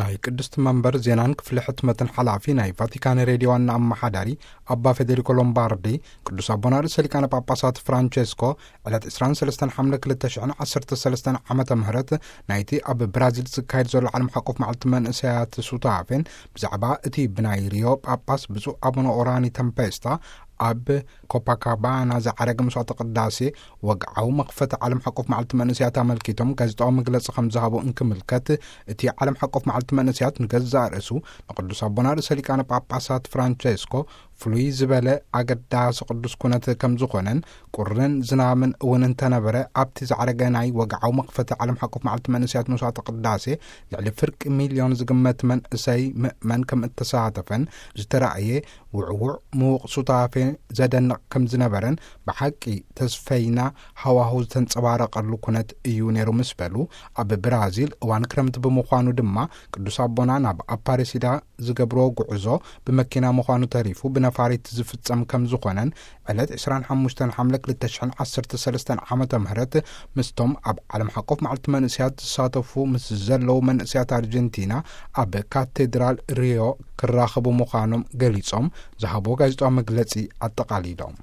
ናይ ቅድስቲ መንበር ዜናን ክፍሊ ሕትመትን ሓላፊ ናይ ቫቲካን ሬድዮ ዋና ኣመሓዳሪ ኣባ ፌዴሪኮ ሎምባርዲ፣ ቅዱስ ኣቦና ርእሰ ሊቃነ ጳጳሳት ፍራንቸስኮ ዕለት ዕስራን ሰለስተን ሓምለ ክልተ ሽሕን ዓሰርተ ሰለስተን ዓመተ ምህረት ናይቲ ኣብ ብራዚል ዝካየድ ዘሎ ዓለም ሓቆፍ መዓልቲ መንእሰያት ሱታፌን ብዛዕባ እቲ ብናይ ሪዮ ጳጳስ ብፁዕ ኣቡነ ኦራኒ ተምፔስታ ኣብ ኮፓካባና ዝዓረገ መስዋዕተ ቅዳሴ ወግዓዊ መኽፈቲ ዓለም ሓቆፍ መዓልቲ መንእሰያት ኣመልኪቶም ጋዜጣዊ መግለጺ ከም ዝሃቡ እንክምልከት፣ እቲ ዓለም ሓቆፍ መዓልቲ መንእሰያት ንገዛእ ርእሱ ንቅዱስ ኣቦና ርእሰ ሊቃነ ጳጳሳት ፍራንቸስኮ ፍሉይ ዝበለ ኣገዳሲ ቅዱስ ኩነት ከም ዝኾነን፣ ቁርን ዝናምን እውን እንተነበረ ኣብቲ ዝዓረገ ናይ ወግዓዊ መኽፈቲ ዓለም ሓቆፍ መዓልቲ መንእሰያት መስዋዕተ ቅዳሴ ልዕሊ ፍርቂ ሚልዮን ዝግመት መንእሰይ ምእመን ከም እተሳተፈን ዝተራእየ ውዕውዕ ምዉቕ ሱታፌ ዘደንቕ ከም ዝነበረን፣ ብሓቂ ተስፈይና ሃዋሁ ዝተንጸባረቐሉ ኩነት እዩ ነይሩ ምስ በሉ፣ ኣብ ብራዚል እዋን ክረምቲ ብምዃኑ ድማ ቅዱስ ኣቦና ናብ ኣፓሬሲዳ ዝገብርዎ ጉዕዞ ብመኪና ምዃኑ ተሪፉ ብነፋሪት ዝፍጸም ከም ዝኾነን፣ ዕለት ዕስራን ሓሙሽተን ሓምለ ክልተ ሽሕን ዓሰርተ ሰለስተን ዓመተ ምህረት ምስቶም ኣብ ዓለም ሓቆፍ መዓልቲ መንእሰያት ዝሳተፉ ምስ ዘለዉ መንእሰያት ኣርጀንቲና ኣብ ካቴድራል ሪዮ ክራኸቡ ምዃኖም ገሊጾም ዝሃብዎ ጋዜጣዊ መግለጺ ኣጠቓሊሎም።